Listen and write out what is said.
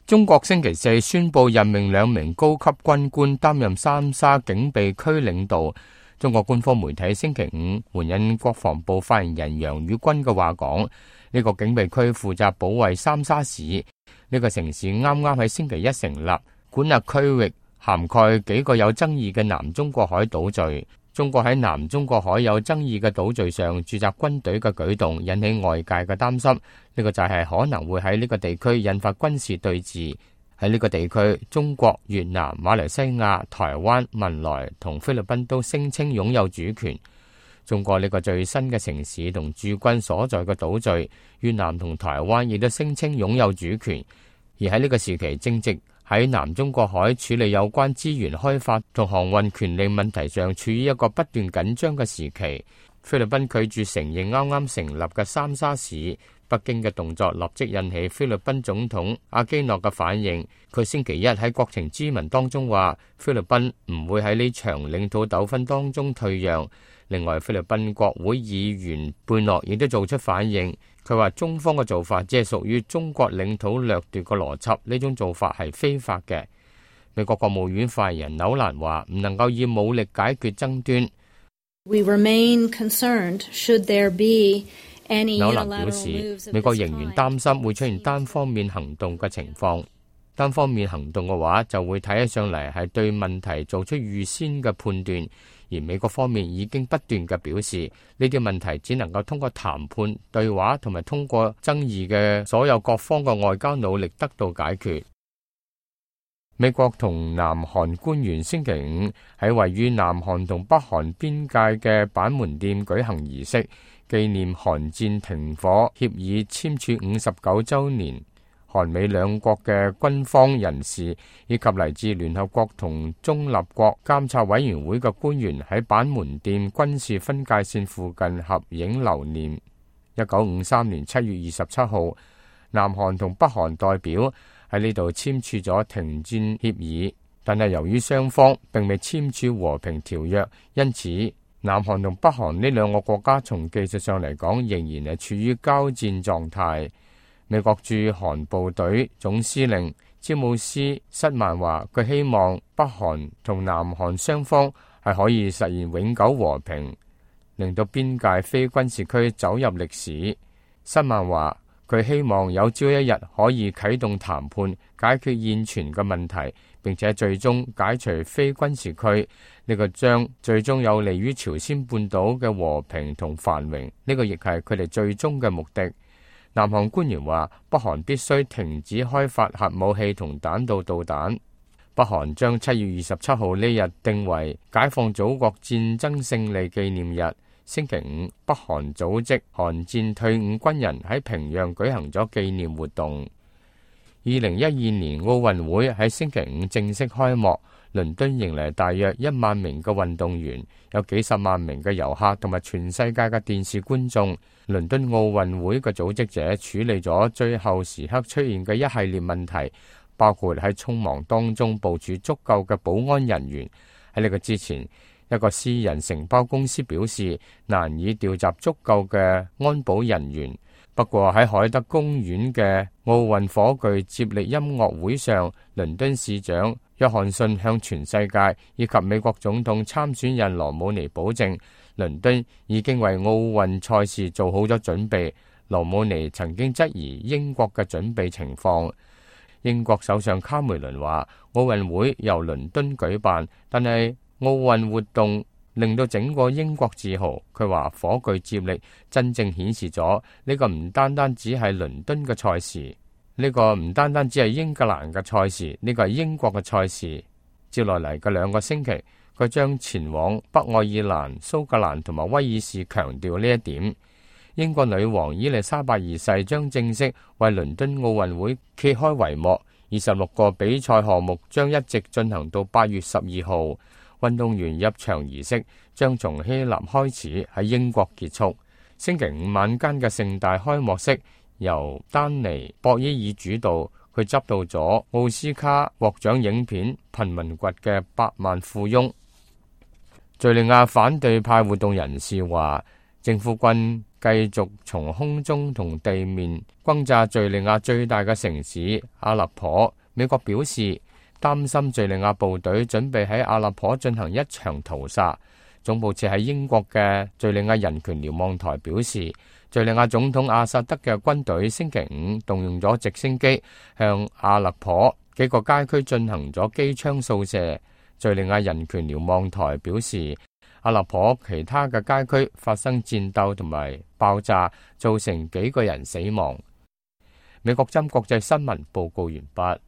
中國星期四宣布任命2名高級軍官擔任三沙警備區領導。中國官方媒體星期五援引國防部發言人楊宇軍嘅話講，呢個警備區負責保衛三沙市。呢個城市啱啱喺星期一成立，管轄區域涵蓋幾個有爭議嘅南中國海島嶼。中國喺南中國海有爭議嘅島嶼上駐紮軍隊嘅舉動引起外界嘅擔心，呢個就係可能會喺呢個地區引發軍事對峙。喺呢個地區，中國、越南、馬來西亞、台灣、文萊同菲律賓都聲稱擁有主權。中國呢個最新嘅城市同駐軍所在嘅島嶼，越南同台灣亦都聲稱擁有主權。而喺呢個時期，正值喺南中國海處理有關資源開發同航運權利問題上處於一個不斷緊張嘅時期。菲律賓拒絕承認啱啱成立嘅三沙市，北京嘅動作立即引起菲律賓總統阿基諾嘅反應。佢星期一喺國情咨文當中話，菲律賓唔會喺呢場領土糾紛當中退讓。另外，菲律賓國會議員貝諾亦都做出反應。佢話中方嘅做法只係屬於中國領土掠奪嘅邏輯，呢種做法係非法嘅。美國國務院發言人紐蘭話唔能夠以武力解決爭端。We remain concerned should there be any 紐蘭表示，美國仍然擔心會出現單方面行動嘅情況。單方面行動嘅話，就會睇起上嚟係對問題做出預先嘅判斷。而美國方面已經不斷嘅表示，呢啲問題只能夠通過談判、對話同埋通過爭議嘅所有各方嘅外交努力得到解決。美國同南韓官員星期五喺位於南韓同北韓邊界嘅板門店舉行儀式，紀念韓戰停火協議簽署59週年。韓美兩國嘅軍方人士以及嚟自聯合國同中立國監察委員會嘅官員喺板門店軍事分界線附近合影留念。1953年7月27號，南韓同北韓代表喺呢度簽署咗停戰協議，但係由於雙方並未簽署和平條約，因此南韓同北韓呢兩個國家從技術上嚟講仍然係處於交戰狀態。美國駐韓部隊總司令詹姆斯塞曼話，佢希望北韓同南韓雙方係可以實現永久和平，令到邊界非軍事區走入歷史。塞曼話，佢希望有朝一日可以啟動談判，解決現存嘅問題，並且最終解除非軍事區。呢個將最終有利於朝鮮半島嘅和平同繁榮。呢個亦係佢哋最終嘅目的。南韓官員話，北韓必須停止開發核武器同彈道導彈。北韓將7月27號呢日定為解放祖國戰爭勝利紀念日。星期五，北韓組織韓戰退伍軍人喺平壤舉行咗紀念活動。2012年奧運會喺星期五正式開幕，倫敦迎嚟大約1萬名嘅運動員，有幾十萬名嘅遊客同埋全世界嘅電視觀眾。倫敦奧運會嘅組織者處理咗最後時刻出現嘅一系列問題，包括喺匆忙當中部署足夠嘅保安人員。喺呢個之前，一個私人承包公司表示難以調集足夠嘅安保人員。不過喺海德公園嘅奧運火炬接力音樂會上，倫敦市長約翰遜向全世界以及美國總統參選人羅姆尼保證，倫敦已經為奧運賽事做好咗準備。羅姆尼曾經質疑英國嘅準備情況。英國首相卡梅倫話，奧運會由倫敦舉辦，但係奧運活動令到整個英國自豪。佢話火炬接力真正顯示咗呢個唔單單只係倫敦嘅賽事，呢個唔單單只係英格蘭嘅賽事，呢個係英國嘅賽事。接落嚟嘅2個星期，佢將前往北愛爾蘭、蘇格蘭同埋威爾士，強調呢一點。英國女王伊麗莎白二世將正式為倫敦奧運會揭開帷幕。26個比賽項目將一直進行到8月12號。運動員入場儀式將從希臘開始，喺英國結束。星期五晚間嘅盛大開幕式由丹尼博爾爾主導，佢執導咗奧斯卡獲獎影片《貧民窟嘅百萬富翁》。敘利亞反對派活動人士話，政府軍繼續從空中同地面轟炸敘利亞最大嘅城市阿勒頗。美國表示擔心敘利亞部隊準備喺阿勒頗進行一場屠殺。總部設喺英國嘅敘利亞人權瞭望台表示，敘利亞總統阿薩德嘅軍隊星期五動用咗直升機向阿勒頗幾個街區進行咗機槍掃射。敘利亞人權瞭望台表示，阿勒頗其他嘅街區發生戰鬥同埋爆炸，造成幾個人死亡。美國針國際新聞報告完畢。